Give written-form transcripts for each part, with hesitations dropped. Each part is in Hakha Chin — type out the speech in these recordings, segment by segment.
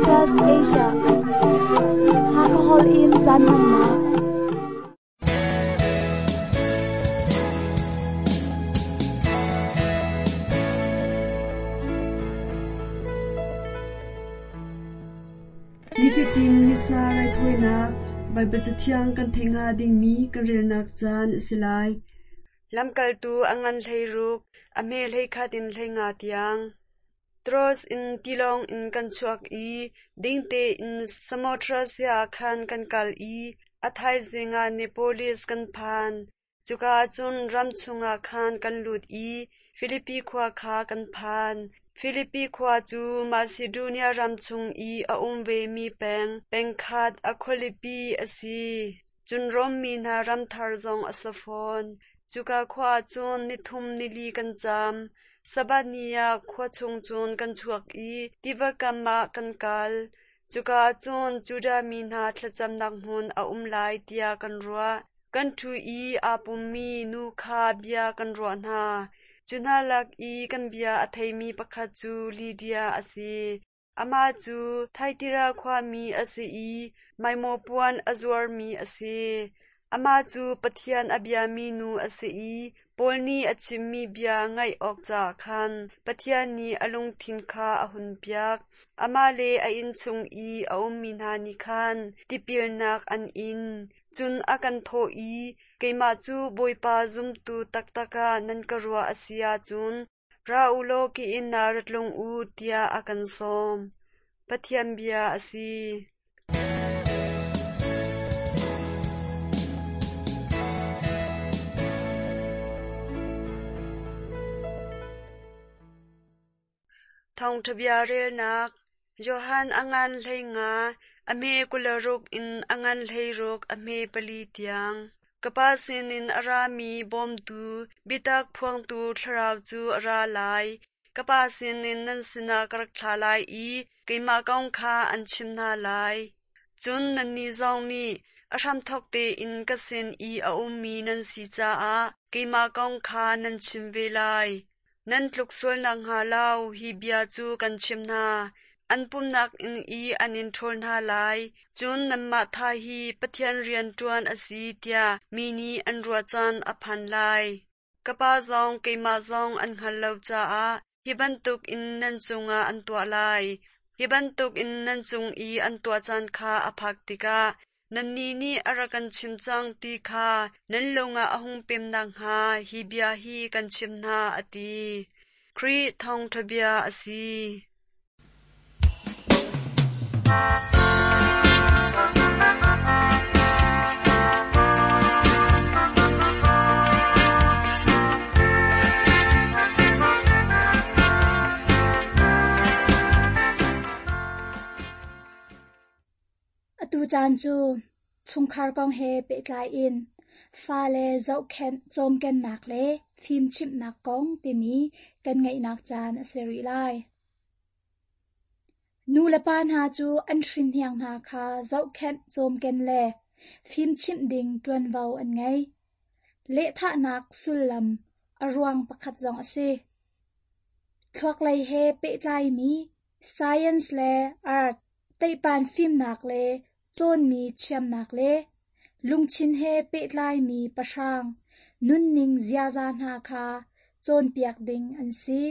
Adventist Asia. Hakha holh in caan hmannak. Nifatin Missa raithawinak Baibal Cathiang kan theih hnga dingmi kan relnak caan a si lai. Lamkaltu a ngan 16, a hme 11 in 15 tiang. Troas in tilawng in kan chuak i ding tein Samothrasia ah khan kan kal i a thaizing ah Neapolis kan phan. Cuka ah cun ram chungah khan kan lut i Filipi khua kha kan phan. Filipi khua cu Masidonia ram chung i a um vemi peng pengkhat a khualipi a si. Cun Rom mi hna ram thar zong a si fawn. Cuka khua ah cun ni thum ni li kan caam. Sabbath ni ah khua chung cun kan chuak i tiva kam ah kan kal. Cuka ah cun Judah mi hna thlacamnak hmun a um lai tiah kan ruah. Kan ṭhu i aa pummi nu kha bia kan ruah hna. Cu hna lak i kan bia a theimi pakhat cu Lidia a si. Amah cu Thyatira khuami a si i maimaw puan a zuarmi a si. Amah cu Pathian a biami nu a si i Paul nih a chimmi bia ngaih awk caah khan Pathian nih a lungthin kha a hunpiak. Amah le a innchung i a ummi hna nih khan tipilnak an in. Cun a kan thawh i, Keimah cu Bawipa zumtu taktak ah nan ka ruah a si ahcun Ra u law ka inn ah ra tlung u, tiah a kan sawm. Pathian bia a si. Thawngṭha bia relnak Johan a ngan 15, a hme 26 in a ngan 16 a hme pali tiang. Ka Pa sinin a rami bawmtu, biatak phuangtu Thlarau cu a ra lai. Ka Pa sinin nan sinah ka rak thlah lai i keimah kong kha an chim hna lai. Cun nannih zong nih a hramthawk tein ka sin i a ummi nan si caah keimah kong kha nan chim ve lai. Nan tluk sual nakhnga lo hi bia cu kan chimh hna. An pumnak inn i an in ṭhawl hna lai, cun nanmah tha hi Pathian rian ṭuan a si tiah mi nih an ruah caan a phan lai. Ka Pa zong keimah zong an hngalh lo caah hi bantukin nan cungah an tuah lai. Hi bantukin nan cung i an tuah caan kha a phak tikah Nannih nih a rak kan chim cang ti kha nan lung ah a hung pem nakhnga hi bia hi kan chimh hna, a ti. Khrih thawngṭha bia a si. Atu caan cu chungkhar kong he pehtlai in fale zohkhenh cawmkennak le fimchimhnak kong timi kan ngeihnak caan a si rih lai. Nu le pa hna cu an hrinhniang hna kha zohkhenh cawmken le fimchimh ding ṭuanvo an ngei. Lehthahnak sullam a ruang pakhat zong a si. Thluaklei he pehtlaimi science le art Teihpan fimnak le cawnmi thiamnak le lungthin he pehtlaimi pahrang nunning ziaza hna kha cawnpiak ding an si.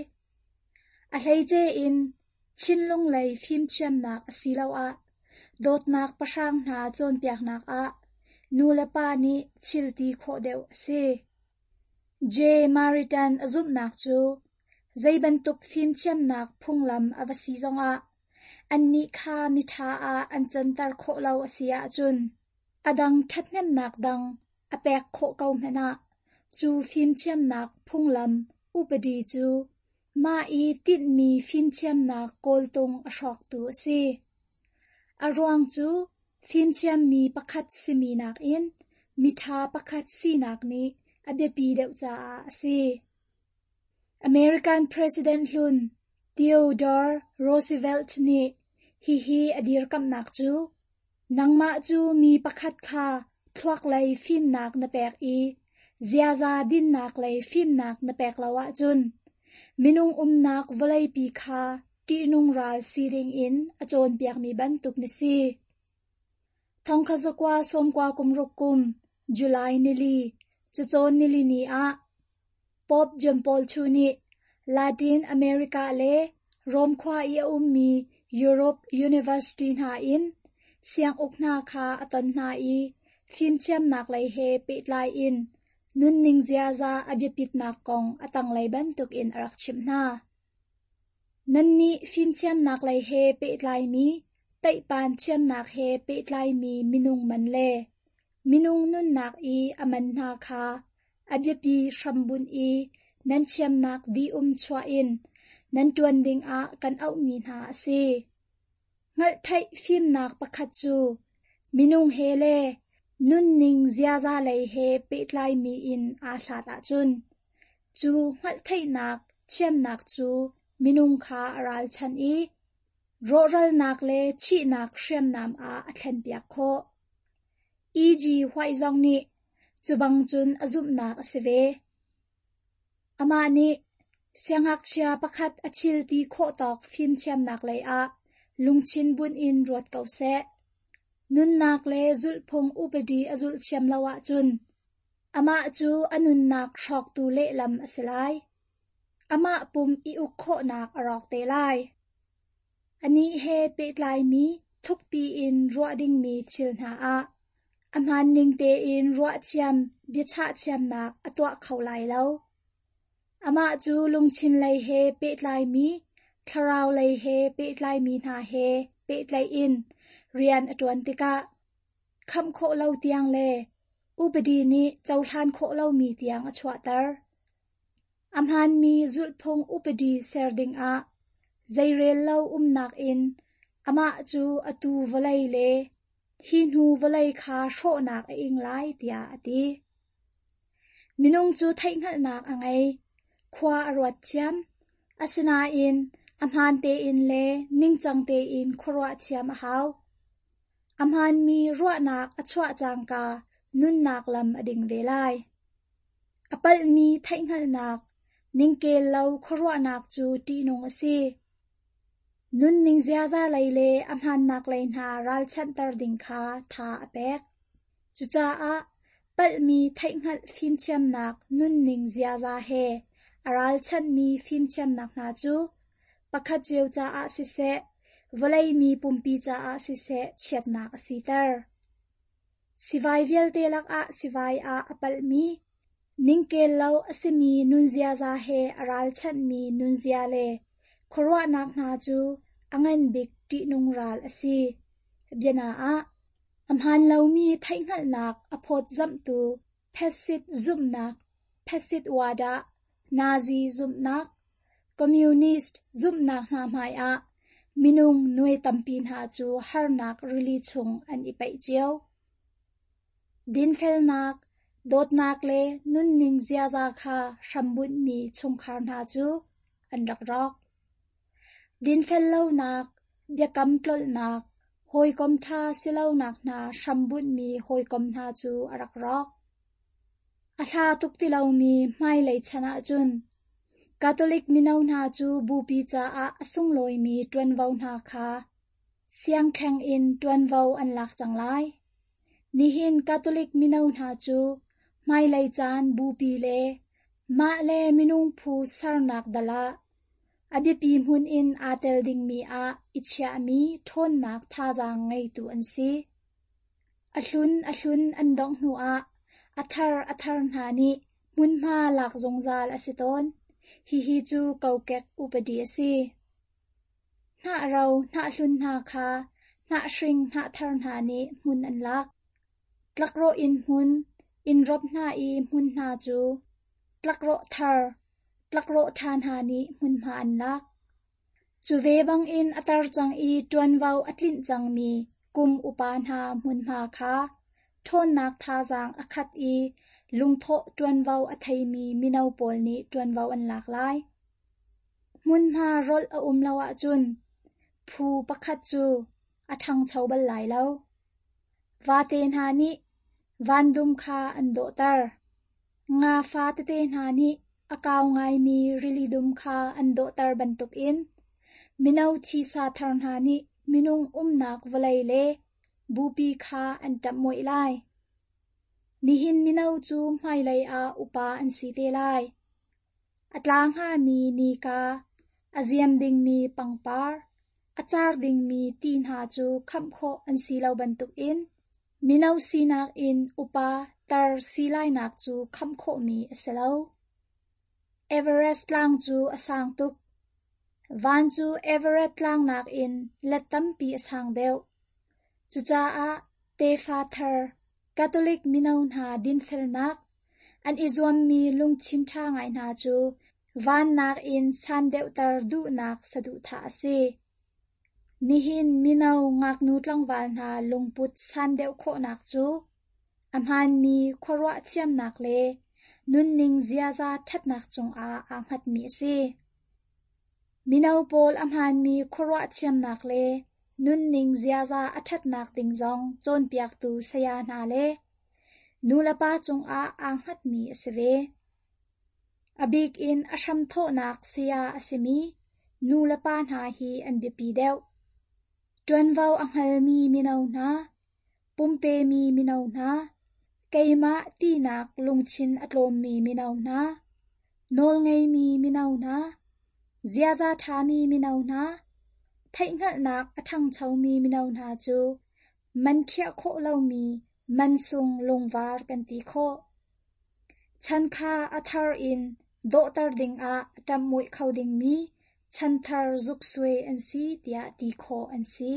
A hleice in thinlung lei fimthiamnak asiloah dawtnak pahrang hna cawnpiaknak ah nulepa nih thil ti khawh deuh a si. J. Maritan a zumhnak cu zei bantuk fimthiamnak phunglam a va si zongah Annih kha miṭha ah an canter khawh lo a si ahcun a dang ṭhathnemnak dang a pek khawh ko hmanh ah cu fimthiamnak phunglam upadi cu mah i tinhmi fimthiamnak kawltung a hrawktu a si. A ruang cu fimthiammi pakhat simi nakin miṭha pakhat sinak nih a biapi deuh caah a si. American President hlun Theodore Roosevelt nih hihi a dirkamhnak cu, "Nangmah cu mi pakhat kha thluaklei fimnak na pek i ziaza dinnak lei fimnak na pek lo ahcun minung umnak vawleipi kha ṭihnung ral si dingin a cawnpiakmi bantuk na si. 1996 kum July nili, cacawn nilini ah Pope John Paul II nih Latin America le Rome khua i a ummi Europe University hna in sianguk hna kha a ton hna i fimthiamnak lei he pehtlai in nunning ziaza a biapitnak kong a tanglei bantukin a rak chimh hna. Nannih fimthiamnak lei he pehtlaimi teihpan thiamnak he pehtlaimi minung man le minung nunnak i a man hna kha a biapi hrambunh i nan thiamnak dih-um chuah in nan ṭuan dingah kan auhmi hna a si. Hngalhtheih fimnak pakhat cu minung he le nunning ziaza lei he pehtlaimi in aa hlat ahcun, cu hngalhtheihnak thiamnak cu minung kha a ralchanh i rawhralnak le thihnak hriamnam ah a thlenpiak khawh. E.G. White zong nih cu bang cun a zumhnak a si ve. Amah nih siangngakchia pakhat a thil ti khawh tawk fimthiamnak lei ah lungthin bunh in ruat ko seh. Nunnak le zulhphung upadi a zulh thiam lo ahcun amah cu a nunnak hrawktu lehlam a si lai. Amah pum i uk khawhnak a rawk te lai. Anih he pehtlaimi thukpi in ruah dingmi thil hna ah a hmaanning tein ruahthiam biachah thiamnak a tuah kho lai lo. Amah cu lungthin lei he pehtlaimi, thlarau lei he pehtlaimi hna he pehtlaih in rian a ṭuan tikah khamh khawh lo tiang le upadi nih cohlan khawh lomi tiang a chuahter. A hmaanmi zulhphung upadi ser dingah zeirel lo umnak in amah cu atu vawlei le hi hnu vawlei kha hrawhnak a ing lai tiah a ti. Minung cu theihhngalhnak a ngei, khua a ruat thiam, asinain a hmaan tein le ningcang tein khuaruah thiam a hau. A hmaanmi ruahnak a chuah cangka nunnak lam a ding ve lai. A palhmi theihhngalhnak, ningkel lo khuaruahnak cu ṭihnung a si. Nunning ziaza lei le a hmaannak lei hna ralchanhter ding kha tha a pek. Cucaah palhmi theihhngalh fimthiamnak nunning ziaza he a ralchanhmi fimthiamnak hna cu pakhat cio caah siseh, vawlei mi pumpi caah siseh chiatnak a siter. Sivai vialte lakah sivai ah a palhmi, ningkel lo a simi nunziaza he a ralchanhmi nunzia le khuaruahnak hna cu a ngan bik ṭihnung ral a si. Biana ah, a hmaan lomi theihhngalhnak a phawtzamhtu Phesit zumhnak, Phesit wadah, Nazi zumhnak, Communist zumhnak hna hmaiah minung nuai tampi hna cu harnak rili chung an i paih cio. Dinfelnak, dawtnak le nunning ziaza kha hrambunhmi chungkhar hna cu an rak rawk. Dinfel lonak, biakam tlolhnak, hawikom ṭha si lonak hna hrambunhmi hawikom hna cu a rak rawk. A hla tuk ti lomi hmailei chan ahcun Catholic mino hna cu bupi caah a sunglawimi ṭuanvo hna kha siangkheng in ṭuanvo an lak cang lai. Nihin Catholic mino hna cu hmailei caan bupi le mah le minung phu sernak dal ah a biapi hmun in aa tel dingmi ah i chiahmi ṭhawnnak thazaang ngeitu an si. A hlun a hlun an dongh hnuah a thar a thar hna nih hmunhma lak zungzal a si tawn. Hihi cu kokek upadi a si. Hnah ro hnah hlun hna kha hnah hring hnah thar hna nih hmun an lak. Tlakrawh inn hmun, inn rop hna i hmun hna cu tlakrawh thar, tlakrawh ṭha hna nih hmunhma an lak. Cu ve bangin a tar cang i ṭuanvo a tlinh cangmi kum upa hna hmunhma kha ṭhawnnak thazaang a khat i lungthawh ṭuanvo a theimi mino pawl nih ṭuanvo an lak lai. Hmunhma rolh a um lo ahcun phu pakhat cu a ṭhangcho bal lai lo. Vate hna nih vandum kha an dawhter. Nga fa tete hna nih a kau ngaimi rili dum kha an dawhter bantukin. Mino thisa thar hna nih minung umnak vawlei le bupi kha an ṭamhmoih lai. Nihin mino cu hmailei ah upa an si te lai. A tla hngami nika, a ziam dingmi pangpar, a car dingmi ti hna cu khamh khawh an si lo bantukin mino sinak in upa tar si lainak cu khamh khawhmi a si lo. Everest tlang cu a sang tuk. Van cu Everest tlang nakin let tampi a sang deuh. Cucaah tefa thar Catholic mino hna dinfelnak, an i zuammi lungthin ṭha ngai hna cu van nakin san deuhter duhnak saduhthah a si. Nihin mino ngaknu tlangval hna lungput san deuh khawhnak cu a hmaanmi khuaruah thiamnak le nunning ziaza ṭhatnak cungah aa hngatmi a si. Mino pawl a hmaanmi khuaruah thiamnak le nunning ziaza a ṭhatnak ding zong cawnpiaktu saya hna le nulepa cungah aa hngatmi a si ve. A bik in a hramthawhnak saya a simi nulepa hna hi an biapi deuh. Ṭuanvo a hngalmi mino hna, pumpemi mino hna, keimah tinak lungthin a tlawmmi mino hna, nawlngeimi mino hna, ziaza ṭhami mino hna, theihhngalhnak a ṭhangchomi mino hna cu man khiah khawh lomi mansung lungvar kan ti khawh. Chan kha a thar in dawhter dingah a ṭamhmoih kho dingmi chanthar zuksuai an si tiah ti khawh an si.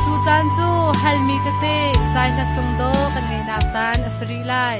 Tucaan cu halmi tete zai hla sung dawh kan ngeihnak caan a si rih lai.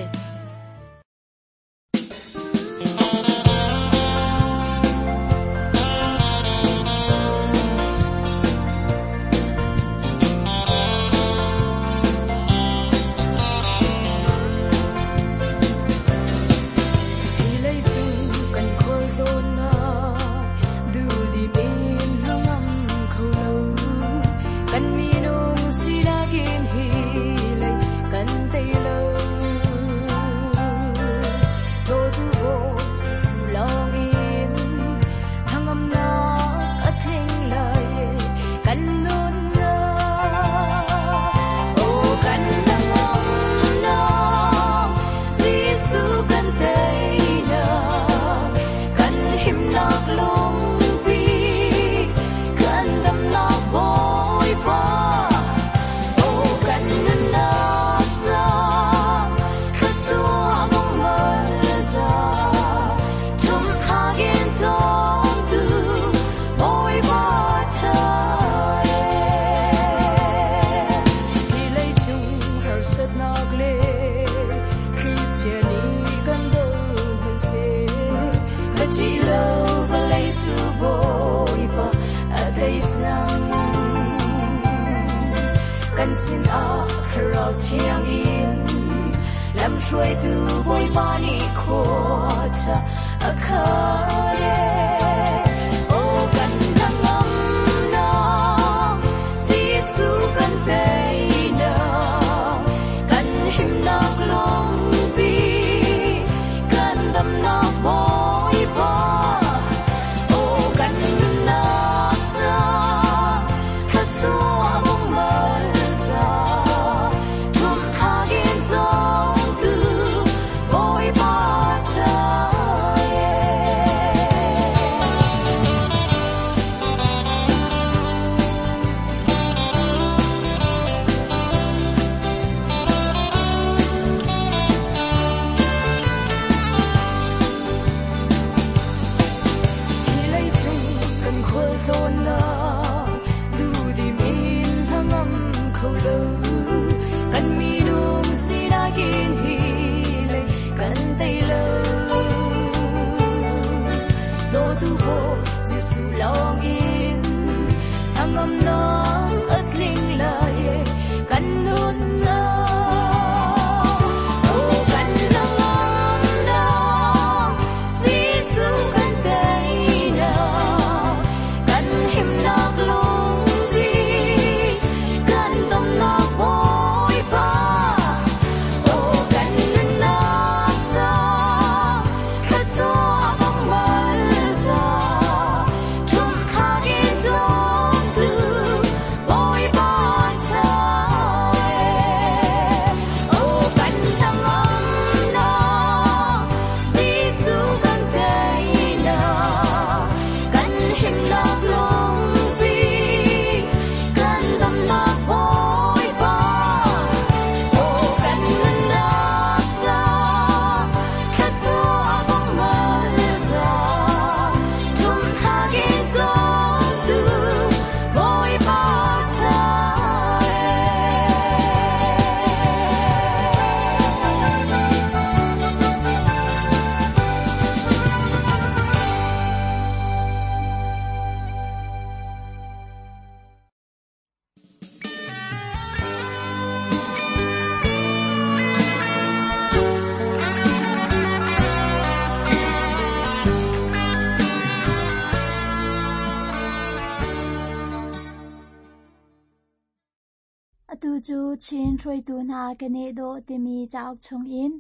cu Chin hruaitu hna keneh dawh timi cauk chungin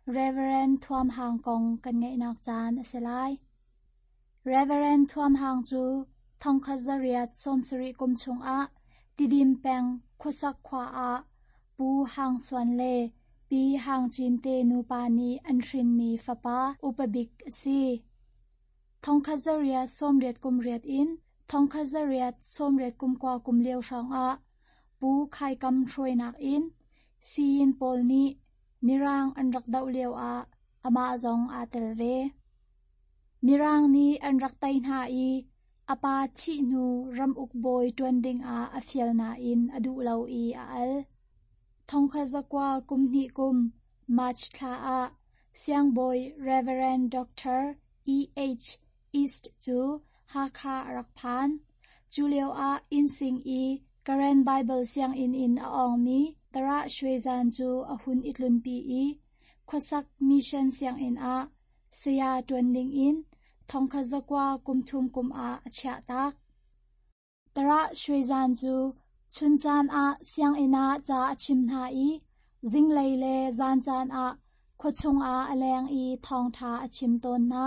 Reverend Thuam Hang kong kan ngaihnak caan a si lai. Reverend Thuam Hang cu 1870 kum chungah Tidim peng Khuasak khua ah Pu Hang Suan le Pi Hang Cin te nupa nih an hrinmi fapa upa bik a si. 1888 in 1889 kum lio hrawngah Pu Khai Kam hruainak in Siyin pawl nih Mirang an rak doh lioah amah zong aa tel ve. Mirang nih an rak tei hna i a pa thih hnu ramuk bawi ṭuan dingah a fial nain a duh lo i a al. 1912 kum March thla ah Siangbawi Reverend Doctor E. H. East cu Hakha a rak phan. Cu lioah Innsing i Karen Baibal sianginn in a awngmi Tarah Shwezan cu a hun i tlunpi i Khuasak Mission sianginn ah saya ṭuan dingin 1930 kum ah a chiahtak. Tarah Shwezan cu chun caan ah sianginn ah ca a chim hna i zinglei le zan caan ah khuachung ah a leng i thawngṭha a chim tawn hna.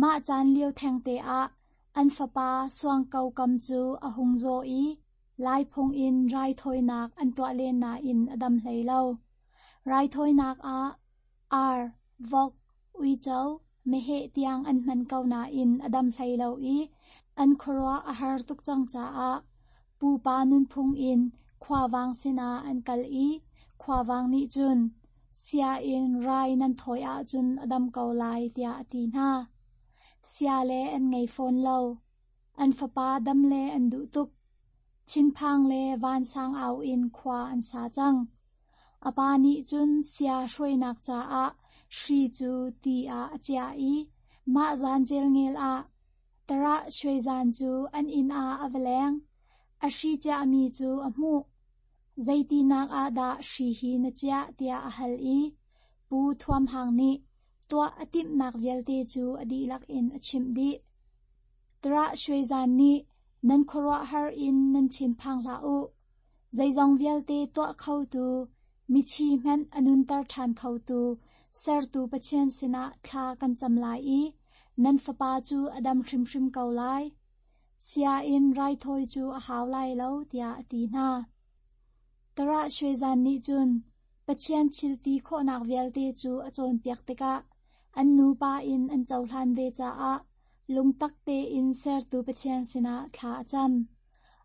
Mah caan lio thengte ah an fapa Suang Ko Kam cu a hung zaw i Laiphung in raithawinak an tuah len nain a dam hlei lo. Raithawinak ah ar, vok, uico, meheh tiang an hman ko nain a dam hlei lo i an khuaruah a har tuk cang caah pupa nunphung in khuavang sinah an kal i khuavang nih cun sia in rai nan thawi ahcun a dam ko lai tiah a ti hna. Sia le an ngei fawn lo. An fapa dam le an duh tuk. Thinphang le vansang au in khua an sa cang. A pa nih cun sia hruainak caah hri cu ti ah a chiah i mah zan celngel ah Tarah Shwezan cu an inn ah a va leng. A hri chiahmi cu a hmuh. Zeitinak ah dah hri hi na chiah tiah a hal i Pu Thuam Hang nih tuah a timhnak vialte cu a dihlak in a chimh dih. Tarah Shwezan nih nan khuaruahhar in nan thinphang hlah u. Zeizong vialte tuah khotu, mithi hmanh a nunter ṭhan khotu, sertu Pathian sinah thla kan cam lai i nan fapa cu a dam hrimhrim ko lai. Sia in raithawi cu a hau lai lo, tiah a ti hna. Tarah Shwezan nih cun Pathian thil ti khawhnak vialte cu a cawnpiak tikah an nupa in an cohlan ve caah lungtak tein sertu Pathian sinah thla a cam.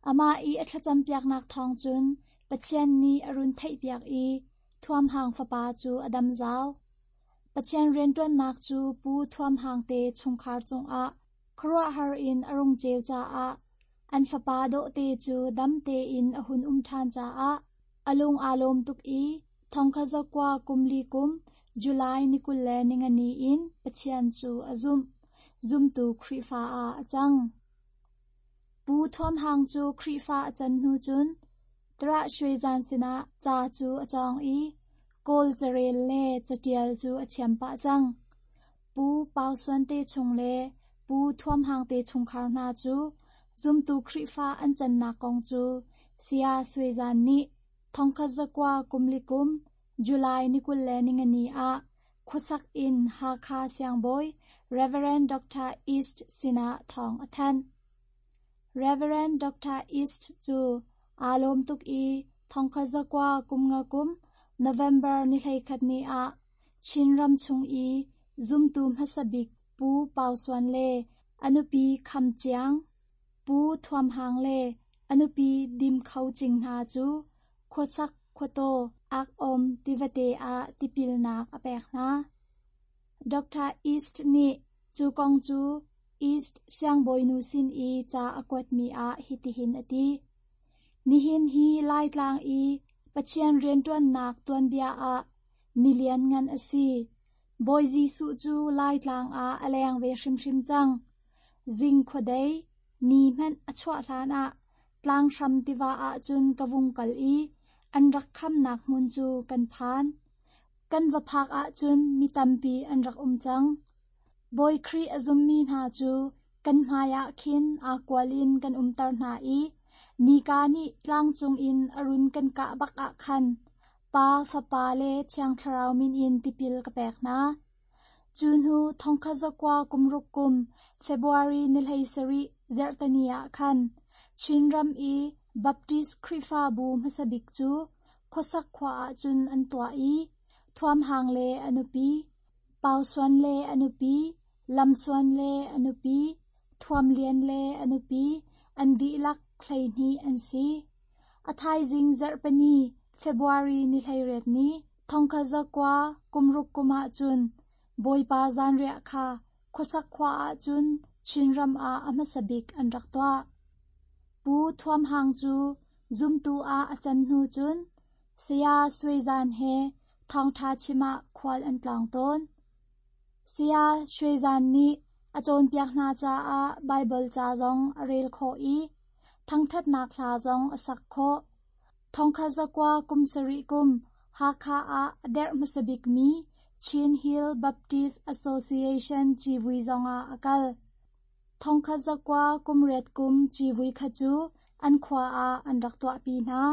Amah i a thlacampiaknak thawng cun Pathian nih a run theihpiak i Thuam Hang fapa cu a dam zau. Pathian rianṭuannak cu Pu Thuam Hang te chungkhar cungah khuaruahhar in a rung ceu caah an fapa dawhte cu dam tein a hun um ṭhan caah a lung aa lawm tuk i 1904 kum July ni 24 in Pathian cu a zumh. Zumtu Khrihfa ah a cang. Pu Thuam Hang cu Khrihfa a can hnu cun Tarah Shwezan sinah ca cu a cawng i Kawl carel le caṭial cu a thiam pah cang. Pu Pau Suan te chung le Pu Thuam Hang te chungkhar hna cu zumtu Khrihfa an cannak kong cu Saya Shwezan nih 1904 kum July ni 24 ah khuasak in Hakha siangbawi Reverend Doctor East sinah thawng a thanh. Reverend Doctor East cu aa lawm tuk i 1905 kum November ni 11 ni ah Chinram chung i zumtu hmasa bik Pu Pau Suan le a nupi Kham Ciang, Pu Thuam Hang le a nupi Dim Kho Cing hna cu khuasak khuataw Ak-awm tivate ah tipilnak a pek hna. Doctor East nih cu kong cu East siangbawinu sin i ca a kuatmi ah hitihin a ti. Nihin hi Laitlang i Pathian rianṭuannak tuanbia ah ni lianngan a si. Bawi Jesuh cu Laitlang ah a leng ve hrimhrim cang. Zing khuadei, ni hmanh a chuah hlanah tlanghram tiva ahcun ka vung kal i an rak khamnak hmun cu kan phan. Kan va phak ahcun mi tampi an rak um cang. Bawi Khrih a zummi hna cu kan hmaiah khin aa kual in kan umter hna i Nika nih tlangcung in a run kan kah bak ah khan Pa, Fapa le Thiang Thlarau min in tipil ka pek hna. Cu hnu 1960 kum February ni 17 zarhteni ah khan Chinram i Baptist Khrihfabu hmasa bik cu Khuasak khua ah cun an tuah i Thuam Hang le a nupi, Pau Suan le a nupi, Lam Suan le a nupi, Thuam Lian le a nupi an dihlak 12 an si. A thaizing zarhpini February ni 18 ni 1960 kum ah cun Bawipa zanriah kha Khuasak khua ah cun Chinram ah a hmasa bik an rak tuah. Pu Thuam Hang cu zumtu ah a can hnu cun Saya Sui Zan he thawngṭha chim ah khual an tlawng tawn. Saya Sui Zan nih a cawnpiak hna caah Baibal ca zong a rel khawh i thangṭhatnak hla zong a sak khawh. 1970 kum Hakha ah a derh hmasa bikmi Chin Hill Baptist Association civui zongah a kal. 1980 kum civui kha cu an khua ah an rak tuahpi hna.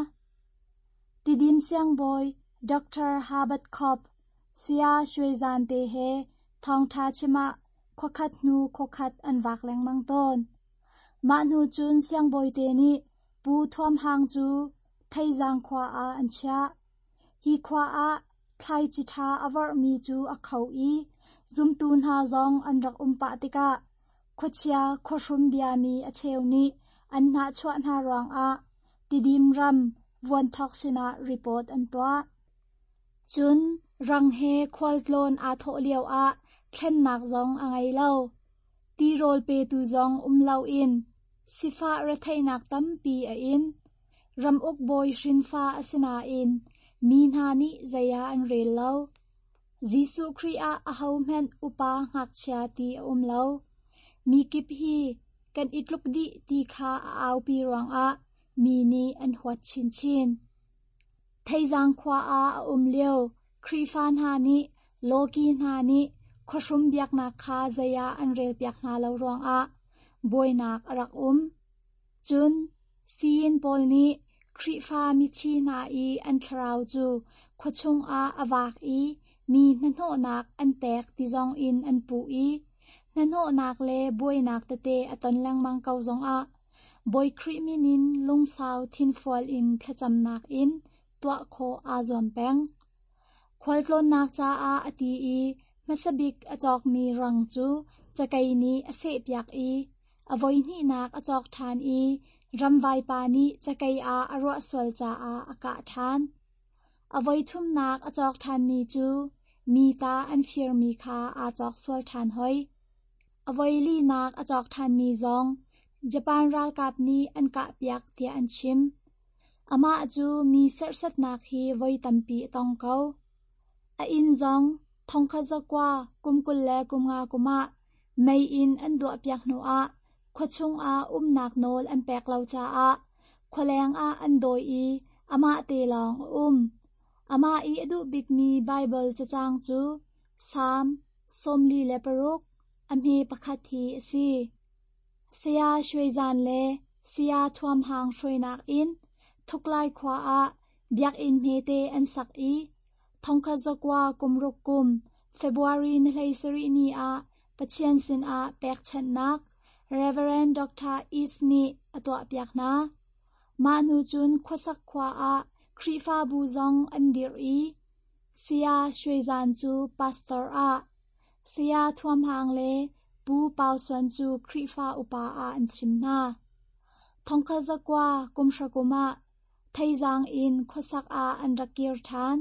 Tidim siangbawi Dr. Herbert Kopp, Saya Shwe Zan te he thawngṭha chim ah khuakhat hnu khuakhat an vak lengmang tawn. Mah hnu cun siangbawi te nih Pu Thuam Hang cu Theizang khua ah an chiah. Hi khua ah thlaici ṭha a vorhmi cu a kho i zumtu hna zong an rak um pah tikah khuachia khuahrum biami a cheu nih an hnahchuah hna ruangah Tidim ram Vuanthok sinah report an tuah. Cun rang he khualtlawn aa thawh lioah thlennak zong a ngei lo. Tirawl petu zong um loin sifah retheihnak tampi a in. Ramuk bawi hrinfa a si nain mi hna nih zei ah an rel lo. Jesuh Khrih ah ahohmanh upa ngakchia ti a um lo. Mi kip hi kan i tluk dih ti kha a aupi ruangah mi nih an huat chinchin. Theizang khua ah a um lio Khrihfa hna nih lawki hna nih khuahrum biaknak kha zei ah an relpiak hna lo ruangah buainak a rak um. Cun siyin pawl nih Khrihfa mithi hna i an thlarau cu khuachung ah a vak i mi hnahnawhnak an pek ti zongin an puh i hnahnawhnak le buainak tete a ton lengmang ko zongah Bawi Khrih min in lungsau thinfual in thlacamnak in tuah khawh aa zuam peng. Khualtlawnnak caah a ti i hmasa bik a cawkmi rang cu cakei nih a sehpiak i a voihnihnak a cawk ṭhan i ramvaipa nih cakei ah a ruah sual caah a kah ṭhan. A voithumnak a cawk ṭhanmi cu mi ta an firmi kha aa cawk sual ṭhan hoi. A voilinak a cawk ṭhanmi zong Japan ralkap nih an kahpiak tiah an chim. Amah cu mi serhsatnak hi voi tampi a tong ko. A inn zong 1925 kum ah mei in an duahpiak hnuah khuachung ah umnak nawl an pek lo caah khualeng ah an dawi i amah te lawng a um. Amah i a duh bikmi Baibal cacang cu Salm 46 a hme pakhat hi a si. Saya Shwe Zan le Saya Thuam Hang hruainak in Thuklai khua ah biakinn hmete an sak i 1960 kum February ni 17 ni ah Pathian sinah pekchanhnak Reverend Dr. East nih a tuahpiak hna. Mah hnu cun Khuasak khua ah Khrihfabu zong an dirh i Saya Shwe Zan cu pastor ah, Saya Thuam Hang le Pu Pau Suan cu Khrihfa upa ah an thim hna. 1990 kum ah Theizang in khuasak ah an rak kir ṭhan.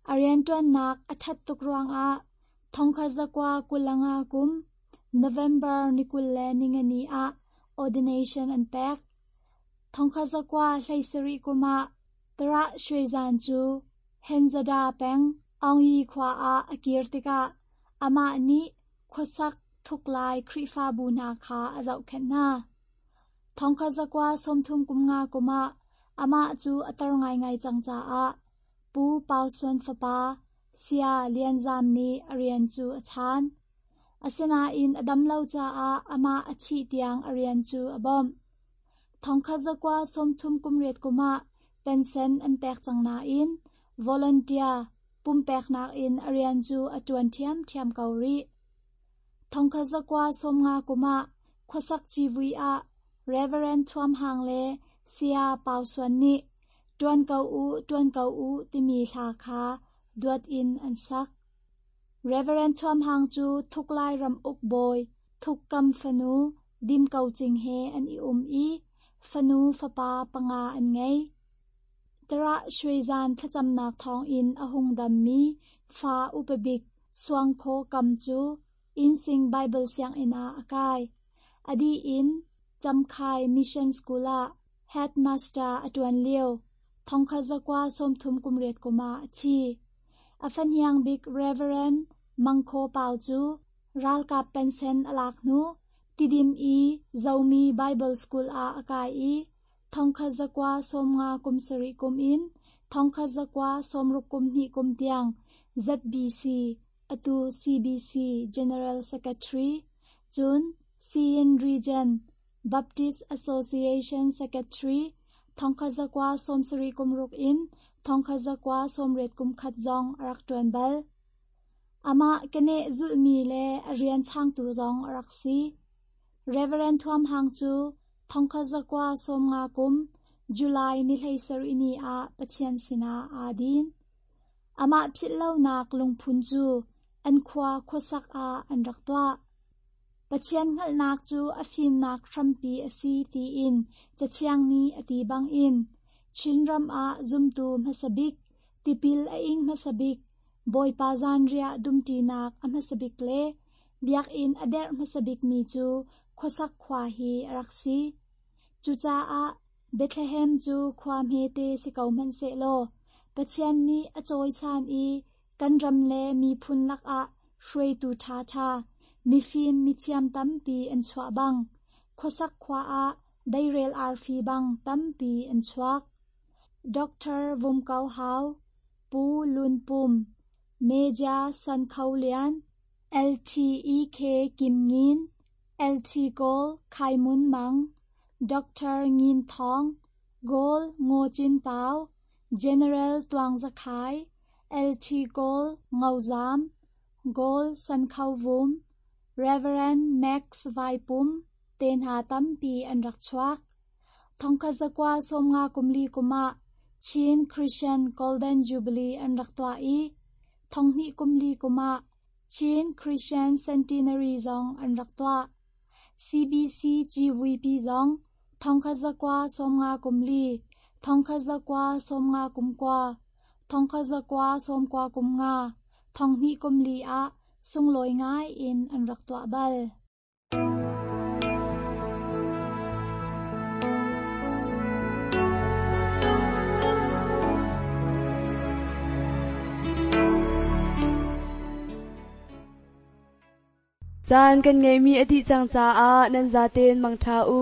A rianṭuannak a ṭhat tuk ruangah 1925 kum November ni 24 ah ordination an pek. 1917 kum ah Tarah Shwe Zan cu Henzada peng Aungyi khua ah a kir tikah amah nih khuasak thuklai Khrihfabu hna kha a zohkhenh hna. 1935 kum ah amah cu a tar ngaingai cang caah Pu Pau Suan fapa Saya Lian Zam nih a rian cu a chaan. Asinain a dam lo caah amah a thih tiang a rian cu a bawmh. 1938 kum ah pensen an pek cang nain volunteer pumpeknak in a rian cu a ṭuan ṭhiamṭhiam ko rih. 1950 kum ah khuasak civui ah Reverend Thuam Hang le Saya Pau Suan nih Ṭuan ko u, ṭuan ko u timi hla kha duat in an sak. Reverend Thuam Hang cu Thuk Lai ramuk bawi Thuk Kam fanu Dim Ko Cing he an i um i fanu fapa panga an ngei. Tarah Shwezan thlacamnak thawngin a hung dammi fa upa bik Suang Khaw Kam cu Innsing Baibal sianginn ah a kai. A dih in Camkhai Mission School ah headmaster a ṭuan lio 1938 kum ah a thi. A fahniang bik Reverend Mang Khaw Pau cu ralkap pensen a lak hnu Tidim i Zomi Baibal School ah a kai i 1957 kum in 1962 kum tiang ZBC, atu CBC General Secretary, cun Siyin Region Baptist Association Secretary 1976 in 1981 zong a rak ṭuan bal. Amah keneh zulhmi le a rian changtu zong a rak si. Reverend Thuam Hang cu 1950 kum July ni 17 ni ah Pathian sinah aa din. Amah philhlonak lungphun cu an khua khuasak ah an rak tuah. Pathian hngalhnak cu a fimnak hrampi a si tiin Cathiang nih a ti bangin Chinram ah zumtu hmasa bik, tipil a ing hmasa bik, Bawipa zanriah dumṭinak a hmasa bik le biakinn a derh hmasa bikmi cu khuasak khua hi a rak si. Cucaah Bethlehem cu khua hmete si ko hmanhsehlaw Pathian nih a cawisan i kan ram le miphun lakah hruaitu ṭhaṭha, mifim mithiam tampi an chuah bang, khuasak khua ah deirel arfi bang tampi an chuak. Doctor Vum Ko Hau, Pu Lun Pum, Major San Kho Lian, LTEK Kim Ngin, LT Kawl Khai Mun Mang, Doctor Ngin Thawng, Goal Ngaw Cin Pau, General Tuang Za Khai, LT Kawl Ngo Zam, Goal San Kho Vum, Reverend Max Vai Pum te hna tampi an rak chuak. 1954 kum ah Chin Christian Golden Jubilee an rak tuah i 2004 kum ah Chin Christian Centenary zong an rak tuah. CBC GVP zong 1954, 1959, 1995, 2004 ah sunglawi ngai in an rak tuah bal. Caan kan ngeihmi a dih cang caah nan zaten mangṭha u.